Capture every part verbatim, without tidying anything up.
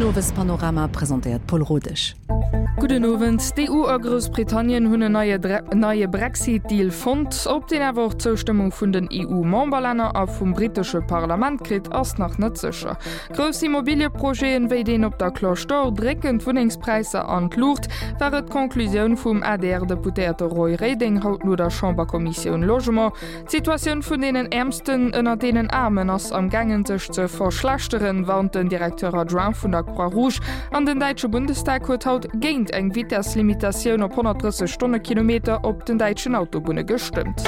Den Owespanorama presentéiert d'Paul Rodesch. Gudden Owend. D'EU a Groussbritannien hunn en neie neie Brexit-Deal fonnt. Ob deen awer och d'Zoustëmmung vun den EU-Memberlänner a vum brittesche Parlament kritt, ass nach net sécher. Grouss Immobilieprojeten, wéi deen op der Cloche d'Or, drécken d'Wunnengspräisser an d'Luucht, war et d'Conclusioun vum A D R-Deputéierte Roy Reding haut no der Chamberkommissioun Logement. D'Situatioun vun deenen Äermsten ënner deenen Aarmen ass am gaangen sech ze verschlechteren, warnt den Directeur adjoint vun der Croix-Rouge. An den däitsche Bundestag huet haut géint eng Vitesslimitatioun op honnertdrësseg Stonnekilometer op den däitschen Autobunne gestëmmt.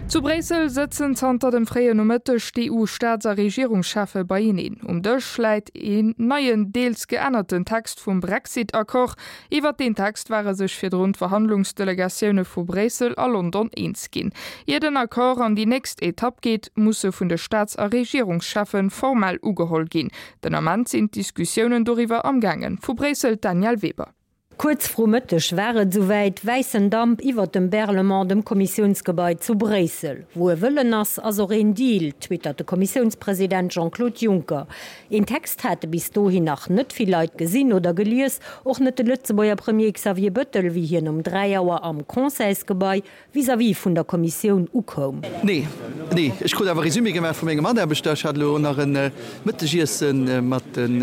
Zu Bréissel sëtzen zanter dem fréien Nomëtteg d'EU-Staats a Regierungscheffe beieneen. Um Dësch läit een neien, deels geännerten Text vum Brexit-Accord. Iwwert deen Text ware sech virdrun d'Verhandlungsdelegatioune vu Bréissel a London eens ginn. Ier den Accord an déi nächst Etapp geet, muss e vun de Staats a Regierungscheffe formell ugeholl ginn. Den Ament sinn d'Diskussiounen doriwwer am gaangen. Vu Bréissel d'Danièle Weber. Kuerz vru Mëtteg war et souwäit, wäissen Damp iwwert dem Berlaymont, dem Kommissiounsgebai zu Bréissel. Wou e Wëllen ass, ass och een Deal, twittert de Kommissiounspresident Jean-Claude Juncker. Een Text hate bis dohin nach net vill Leit gesinn oder gelies, och net de Lëtzebuerger Premier Xavier Bettel, wéi hien um dräi Auer am Conseilsgebai vis-à-vis vun der Kommissioun ukoum. Nee, nee, ech krut awer e Résumé gemaach vu menge Mataarbechter. Ech hat elo nach e Mëttegiesse mat den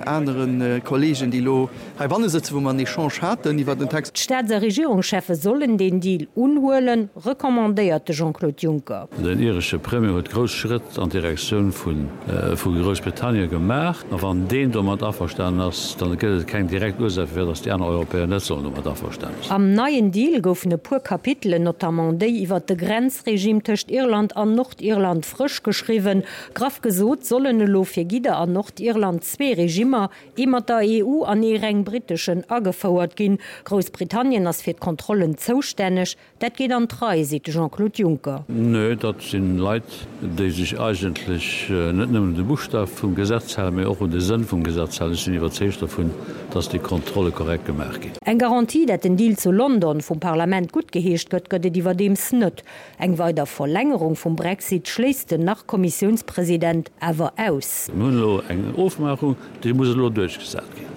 anere Kollegen, déi elo heibanne sëtzen, wou mer en Echange haten iwwer den Text. D'Staats a Regierungscheffe sollen deen Deal unhuelen, recommandéiert de Jean-Claude Juncker. Den iresche Premier huet grouss Schrëtt an Direktioun vu Groussbritannien gemaach. A wann deen domat averstanen ass, dann gëtt et keng direkt Ursaach firwat datt déi aner Europäer net sollen domat averstanen sinn. Am neien Deal goufen e puer Kapitelen, notamment déi iwwer de Grenzregime tëscht Irland an Nordirland, frësch geschriwwen. Graff gesot sollen elo fir Gidder an Nordirland zwee Regimmer, ee mat der E U an ee reng britteschen, agefouert ginn. Groussbritannien ass fir d'Kontrollen zoustänneg. Dat geet an d'Rei, seet de Jean-Claude Juncker. Nö, dat si Leit, déi sech eigentlech net nëmmen un de Buschtaf vum Gesetz halen, mee och un de Sënn vum Gesetz halen. Ech sinn iwwerzeegt dovun, datt déi Kontrolle korrekt gemaach ginn. Eng Garantie, dat den Deal zu London vum Parlament guttgeheescht gëtt, gëtt et iwwerdeems net. Eng weider Verlängerung vum Brexit schléisst den Nach-Kommissiounspresident awer aus. Mir hunn elo eng Ofmaachung, déi muss elo duerchgesat ginn.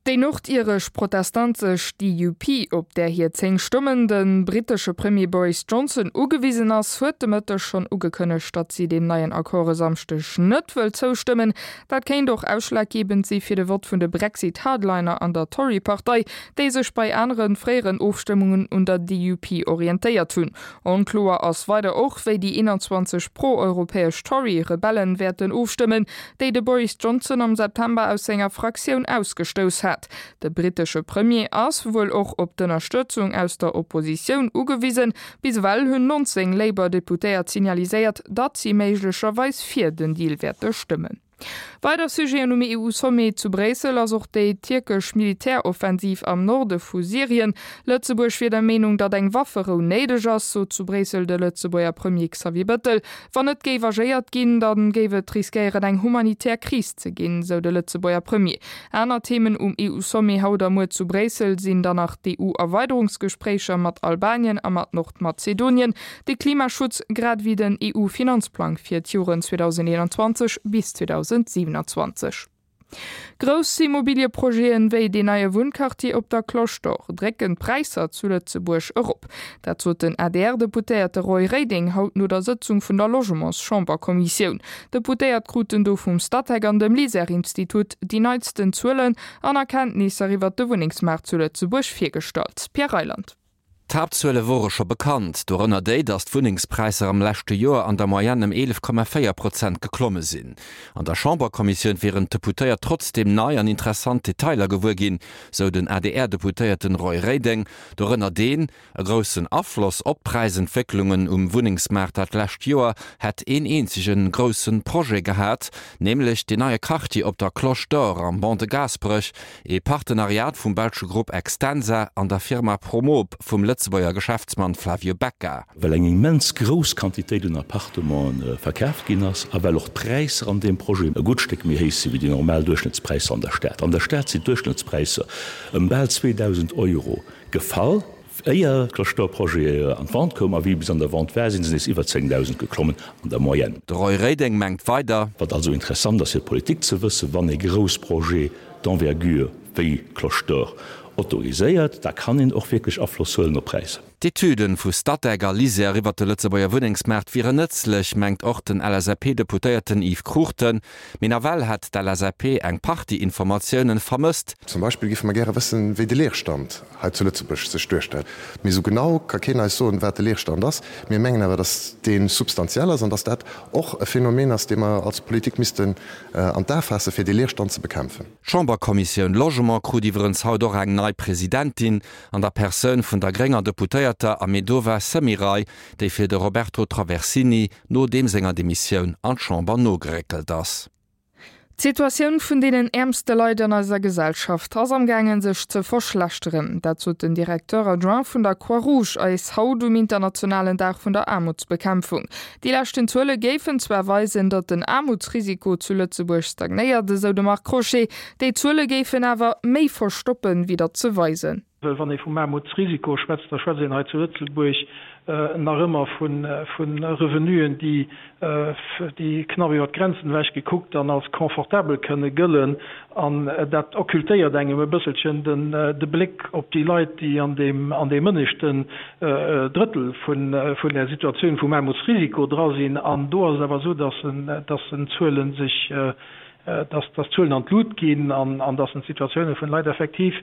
Déi nordiresch protestantesch D U P, op där hir zéng Stëmmen de brittesche Premier Boris Johnson ugewisen ass, huet de Mëtteg schonn ugekënnegt, datt si deem neien Accord e Samschdeg net wëll zoustëmmen. Dat kéint och ausschlaggebend si fir de Vott vun de Brexit-Hardliner an der Tory-Partei, déi sech bei anere fréieren Ofstëmmungen un der D U P orientéiert hunn. Onkloer ass weider och, wéi déi eenanzwanzeg pro-europäesch Tory-Rebellen wäerten ofstëmmen, déi de Boris Johnson am September aus senger Fraktioun ausgestouss hat. De brittesche Premier ass wuel och op d'Ënnerstëtzung aus der Oppositioun ugewisen. Bis ewell hunn nonzéng Labour-Deputéiert signaliséiert, datt si méiglecherweis fir den Deal wäerte stëmmen. Weider Sujeten um E U-Sommet zu Bréissel ass och déi tierkesch Militäroffensiv am Norde vu Syrien. Lëtzebuerg wier der Meenung, datt eng Wafferou néideg ass, sot zu Bréissel de Lëtzebuerger Premier Xavier Bettel. Wann net géif agéiert ginn, da géif et riskéieren eng humanitär Kris ze ginn, sou de Lëtzebuerger Premier. Aner Themen um E U-Sommet haut a muer zu Bréissel sinn dann nach d'E U-Erweiderungsgespréicher mat Albanien a mat Nordmazedonien, de Klimaschutz grad ewéi den E U-Finanzplang fir d'Joren zweedausendeenanzwanzeg bis zweedausendsiwenanzwanzeg. Grouss Immobilieprojeten wéi deen neie Wunnquartier op der Cloche d'Or drécken d'Präisser zu Lëtzebuerg erop. Dat sot den A D R-Deputéierte Roy Reding haut no der Sëtzung vun der Logementschamberkommissioun. D'Deputéiert kruten do vum Statec an dem LISER-Institut déi neitsten Zuelen an Erkenntnisser iwwer de Wunnengsmaart zu Lëtzebuerg virgestallt. Pierre Reyland. D'Haaptzuele wore scho bekannt, dorënner déi, datt d'Wunnengspräisser am leschte Joer an der Moyenne ëm eelef Komma véier Prozent geklomme sinn. An der Chamberkommissioun wieren d'Deputéiert trotzdeem nei an interessant Detailer gewuer ginn, sou den A D R-Deputéierten Roy Reding, dorënner deen, e groussen Afloss op d'Präisentwécklungen um Wunnengsmaart dat lescht Joer hätt een eenzege grousse Projet gehat, nämlech deen neie Quartier op der Cloche d'Or am Ban de Gaasperech, ee Partenariat vum belsche Grupp Extensa an der Firma Promob vum Lëtzebuerger Geschäftsmann Flavio Becca. Well eng immens grouss Quantitéit un Appartementen verkaaft ginn ass a well och d'Präisser an deem Projet e gutt Stéck méi héich si wéi déi normal Duerchschnëttspräisser an der Stad. An der Stad sinn d'Duerchschnëttspräisser ëm bal zweedausend Euro gefall. Éier d'Cloche d'Or Projet an d'Vente koum a wéi e bis an der Vente war, si se nees iwwer zéngdausend geklommen an der Moyenne. De Roy Reding mengt weider. Wat also interessant ass fir d'Politik ze wëssen, wann ee grouss Projet d'envergure wéi Cloche d'Or autoriséiert, da kann een och wierklech Afloss huelen op d'Präisser. D'Etüden vu Statec a LISER iwwert de Lëtzebuerger Wunnengsmaart wieren nëtzlech, mengt och den L S A P-Deputéierten Yves Cruchten. Mee nawell hätt d'L S A P eng Partie Informatiounen vermësst. Zum Beispill géife mer gäre wëssen, wéi de Leerstand hei zu Lëtzebuerg sech duerstellt. Mee esou genau ka keen eis soen, wat de Leerstand ass. Mir mengen awer, datt dee substantiell ass an datt dat och e Phänomen ass, dee mer als Politik missten an d'A faassen, fir dee Leerstand ze bekämpfen. D'Chamberkommissioun Logement krut iwwerens haut och eng nei Presidentin an der Persoun vun der grénger Deputéierter Ahmedova Semiray, déi fir de Roberto Traversini no deem senger Demissioun an d'Chamber nogeréckelt ass. D'Situatioun vun deenen äermste Leit an eiser Gesellschaft ass am gaangen sech ze verschlechteren. Dat sot den Directeur adjoint vun der Croix-Rouge eis haut um internationalen Dag vun der Aarmutsbekämpfung. Déi leschten Zuele géifen zwar weisen, datt den Aarmutsrisiko zu Lëtzebuerg stagnéiert, esou de Marc Crochet. Déi Zuele géifen awer méi verstoppen, wéi datt se weisen. Well wann ee vum Aarmutsrisiko schwätzt, da schwätzt een hei zu Lëtzebuerg nach ëmmer vu Revenuen, déi déi knapp iwwer d'Grenzen ewech gekuckt dann als confortabel kënne gëllen. An dat occultéiert engem e bësselchen den de Bléck op déi Leit, déi an deem an deem ënneschten Drëttel vun vun der Situatioun vum Aarmutsrisiko dra sinn. An do ass et awer esou, dass en dass en d'Zuele sech dass dass d'Zuelen an d'Lut ginn an an dass en d'Situatioune vun Leit effektiv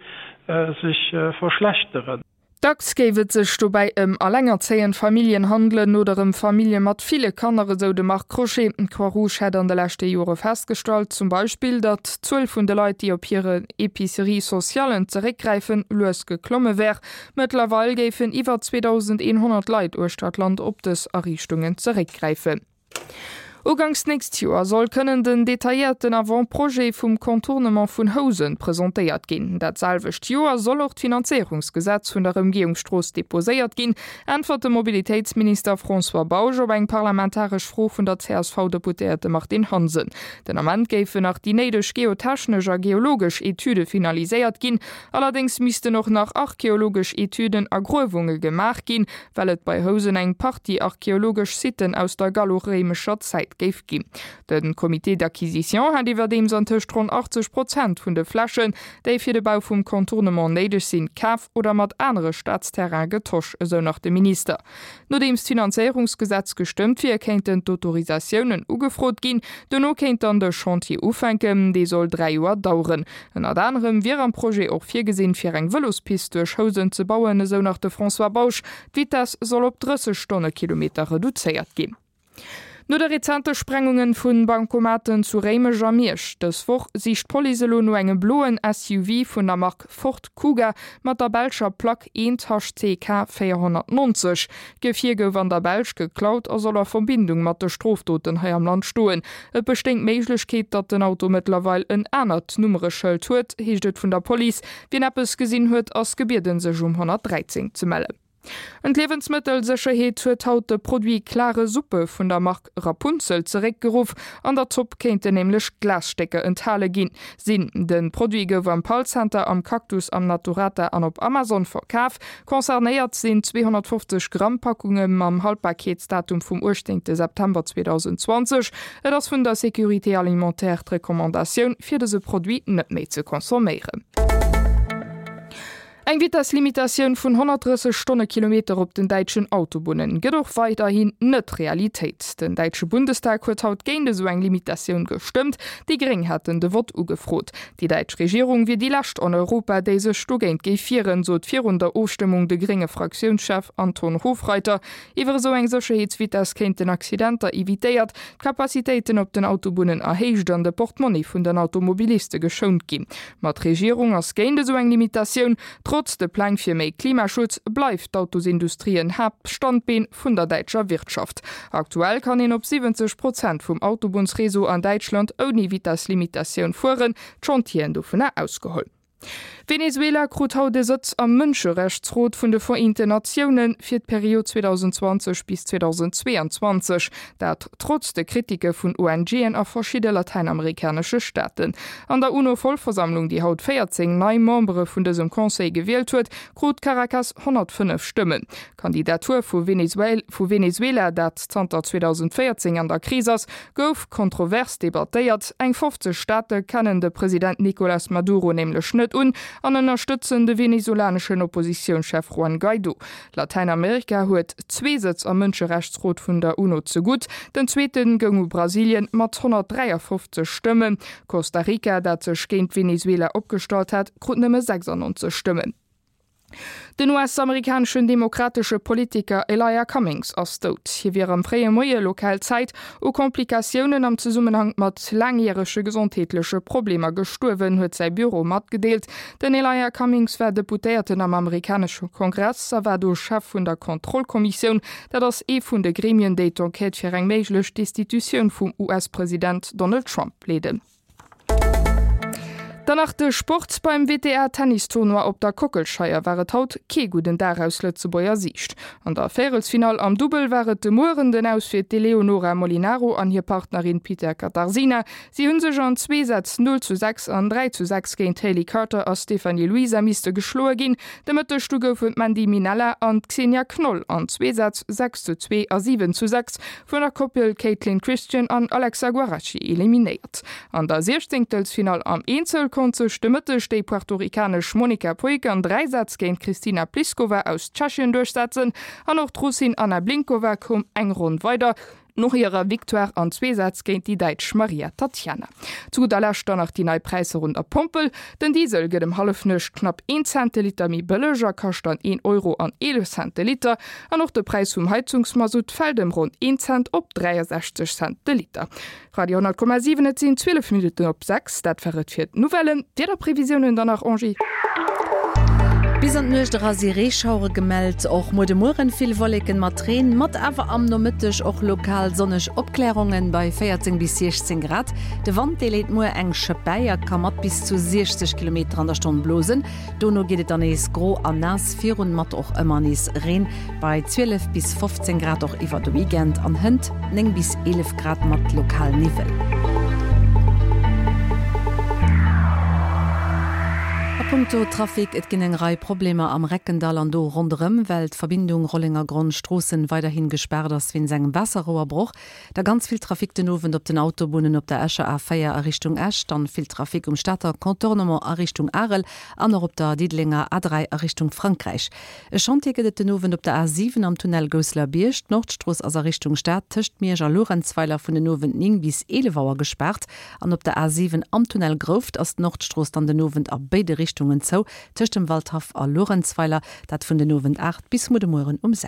sech verschlechteren. Dacks géif et sech dobäi ëm allengerzéiend Familljen handelen oder ëm Famillje mat ville Kanner, esou de Marc Crochet. D'Croix-Rouge hätt an de leschte Jore festgestallt, zum Beispill, datt d'Zuel vun de Leit, déi op hire Épicerie socialen zeréckgräifen, lues geklomme wär. Mëttlerweil géifen iwwer zweedausendeenhonnert Leit uechter d'Land op dës Ariichtungen zeréckgräifen. Uganks d'nächst Joer soll kënnen den detailléierten Avant-projet vum Contournement vun Housen presentéiert ginn. Dat selwecht Joer soll och d'Finanzéierungsgesetz vun der Ëmgehungsstrooss deposéiert ginn, äntwert de Mobilitéitsminister François Bausch op eng parlamentaresch Fro vun der C S V-Deputéierte Martine Hansen. Den Ament géifen nach déi néideg geotechnesch a geologesch Etüde finaliséiert ginn. Allerdéngs missten och nach archeologesch Etüden a Gruewunge gemaach ginn, well et bei Housen eng Partie archeologesch Sitten aus der gallo-réimescher Zäit géif ginn. De Comité d'acquisition hat iwwerdeems antëscht ronn achtzeg Prozent vun de Flächen, déi fir de Bau vum Contournement néideg sinn, kaf oder mat anere Staatsterraine getosch, esou nach de Minister. Nodeems d'Finanzéierungsgesetz gestëmmt wier, kéinten d'Autorisatiounen ugefrot ginn. Dono kéint dann de Chantier ufänken, dee soll dräi Joer daueren. Ënnert anerem wier am Projet och virgesinn, fir eng Vëlospist duerch Housen ze bauen, esou nach de François Bausch. D'Vitess soll op drësseg Stonnekilometer reduzéiert ginn. No de rezente Sprengungen vun Bankomaten zu Réimech a Miersch dës Woch sicht d'Police elo no engem bloen S U V vun der Mark Ford Kuga mat der belscher Plack eent H C K véierhonnertnonzeg. D'Gefier gouf an der Belsch geklaut a soll a Verbindung mat de Strofdoten hei am Land stoen. Et bestéing d'Méiglechkeet, datt den Auto mëttlerweil en anert Nummereschëld huet, heescht et vun der Police. Wien eppes gesinn huet, ass gebieden, sech um honnertdräizéng ze mellen. An d'Liewensmëttelsécherheet huet haut de Produit klare Suppe vun der Mark Rapunzel zeréckgeruff. An der Zopp kéinten nämlech Glasstécker enthale ginn sinn. De Produit gouf am Pall Center, am Cactus, am Naturata an op Amazon verkaf. Concernéiert sinn zweehonnertfofzeg Gramm Packunge mam Haltbarkeetsdatum vum uechtzéngte September zweedausendzwanzeg. Et ass vun der Sécurité alimentaire d'Recommandatioun, fir dëse Produit net méi ze consomméieren. Eng Vitesslimitatioun vun honnertdrësseg Stonnekilometer op den däitschen Autobunnen gëtt och weiderhin net Realitéit. Den däitsche Bundestag huet haut géint esou eng Limitatioun gestëmmt. Déi Gréng haten de Vott ugefrot. Déi däitsch Regierung wier déi lescht an Europa, déi sech dogéint géif wieren, sot virun der Ofstëmmung de grénge Fraktiounschef Anton Hofreiter. Iwwer esou eng Sécherheetsvitess kéinten Accidenter evitéiert, d'Capacitéiten op den Autobunnen erhéicht an de Portmonni vun den Automobiliste geschount ginn. Ma d'Regierung ass géint esou eng Limitatioun. Trotz de Pläng fir méi Klimaschutz bleift d'Autosindustrie en Haaptstandbeen vun der däitscher Wirtschaft. Aktuell kann een op siwwenzeg Prozent vum Autobunnsreseau an Däitschland ouni Vitesslimitatioun fueren, d'Chantieren dovunner ausgeholl. Venezuela krut haut e Sëtz am Mënscherechtsrot vun de Vereenten Natioune fir d'Period zweedausendzwanzeg bis zweedausendzweeanzwanzeg, dat trotz de Kritike vun ONGen a verschidde latäinamerikanesche Staaten. An der UNO-Vollversammlung, déi haut véierzéng nei Membere vun dësem Conseil gewielt huet, krut Caracas honnertfënnef Stëmmen. D'Kandidatur vu Venezuela, dat zanter zweedausendvéierzéng an der Kris ass, gouf kontrovers debattéiert. Eng fofzeg Staate kennen de President Nicolas Maduro nämlech net un an ënnerstëtzen de venezolaneschen Oppositiounschef Juan Guaido. Latäinamerika huet zwee Sëtz am Mënscherechtsrot vun der UNO zegutt. Den zweete goung u Brasilien mat honnertdräiafofzeg Stëmmen. Costa Rica, dat sech géint Venezuela opgestallt hat, krut nëmme sechsannonzeg Stëmmen. Den U S-amerikaneschen demokratesche Politiker Elijah Cummings ass dout. Hie wier am fréie Moie lokal Zäit u Komplikatiounen am Zesummenhank mat laangjärege gesondheetleche Problemer gestuerwen, huet säi Büro matgedeelt. Den Elijah Cummings war Deputéierten am amerikanesche Kongress a war do Chef vun der Kontrollkommissioun. Dat ass ee vun de Gremien, déi d'Enquête fir eng méiglech Destitutioun vum U S-President Donald Trump leeden. Dann nach de Sport, Beim W T A Tennis Tournoi op der Kockelscheier war et haut kee gudden Dag aus Lëtzebuerger Siicht. An der Véierelsfinall am Dubbel war et de Mueren den Aus fir d'Eléonora Molinaro an hir Partnerin Peter Katarzyna. Si hunn sech an zwee Sätz null zu sechs an dräi zu sechs géint d'Hayley Carter a Stephanie Luisa misste geschloe ginn. De Mëtteg du goufen d'Mandy Minella an d'Xenia Knoll an zwee Sätz sechs zu zwee a siwen zu sechs vun der Koppel Kaitlyn Christian an Alexa Guarachi eliminéiert. An der Siechzéngtelsfinall am Eenzel konnt sech de Mëtteg déi puertorikanesch Monica Puig an dräi Sätz géint d'Kristina Pliskova aus Tschechien duerchsetzen an och d'Russin Anna Blinkova koum eng Ronn weider no hirer Victoire an zwee Sätz géint déi Däitsch Maria Tatjana. Zu gudder Lescht dann nach déi nei Präisser un der Pompel, Den Diesel gëtt ëm Hallefnuecht knapp een Cent de Liter méi bëlleg a kascht dann een Euro an eelef Cent de Liter an och de Präis vum Heizungsmasutt fält ëm ronn een Cent op dräiasechzeg Cent de Liter. Radio honnert Komma siwen Et sinn zwielef Minutten op sechs, dat war et fir d'Nouvellen. D'Wiederprevisiounen dann nach, Angie. Bis an d'Nuecht era si Reeschauere gemellt, och muer de Mueren vill Wolleken mat Reen, mat awer am Nomëtteg och lokal sonneg Opklärungen bei véierzéng bis siechzéng Grad. De Wand dee leet muer eng Schëpp bäi a ka mat bis zu siechzeg Kilometer an der Stonn blosen. Dono geet et dann nees gro an naass virun, mat och ëmmer nees Reen bei zwielef bis fofzéng Grad och iwwer de Weekend an hënt néng bis eelef Grad mat lokal Niwwel. A punkto Trafic, et ginn eng Rei Problemer am Reckendall an do ronderëm, well d'Verbindung Rollengergronn, Stroossen weiderhi gespaart ass wéinst engem Waasserrouerbroch. Da ganz vill Trafic den Owend op den Autobunnen op der Escher A véier a Richtung Esch, dann vill Trafic um Stater Contournement a Richtung Arel an och op der Diddelenger A dräi a Richtung Frankräich. E Chantier gëtt et den Owend op der A siwen am Tunnel Gousselerbierg. D'Nordstrooss ass a Richtung Stad tëscht Miersch a Luerenzweiler vun den Owend néng bis eelef Auer gespaart an op der A siwen am Tunnel Grouft ass d'Nordstrooss dann den Owend a béide Richtungen zou, tëscht dem Waldhaff a Luerenzweiler, dat vun den Owend aacht bis muer de Mueren um sechs.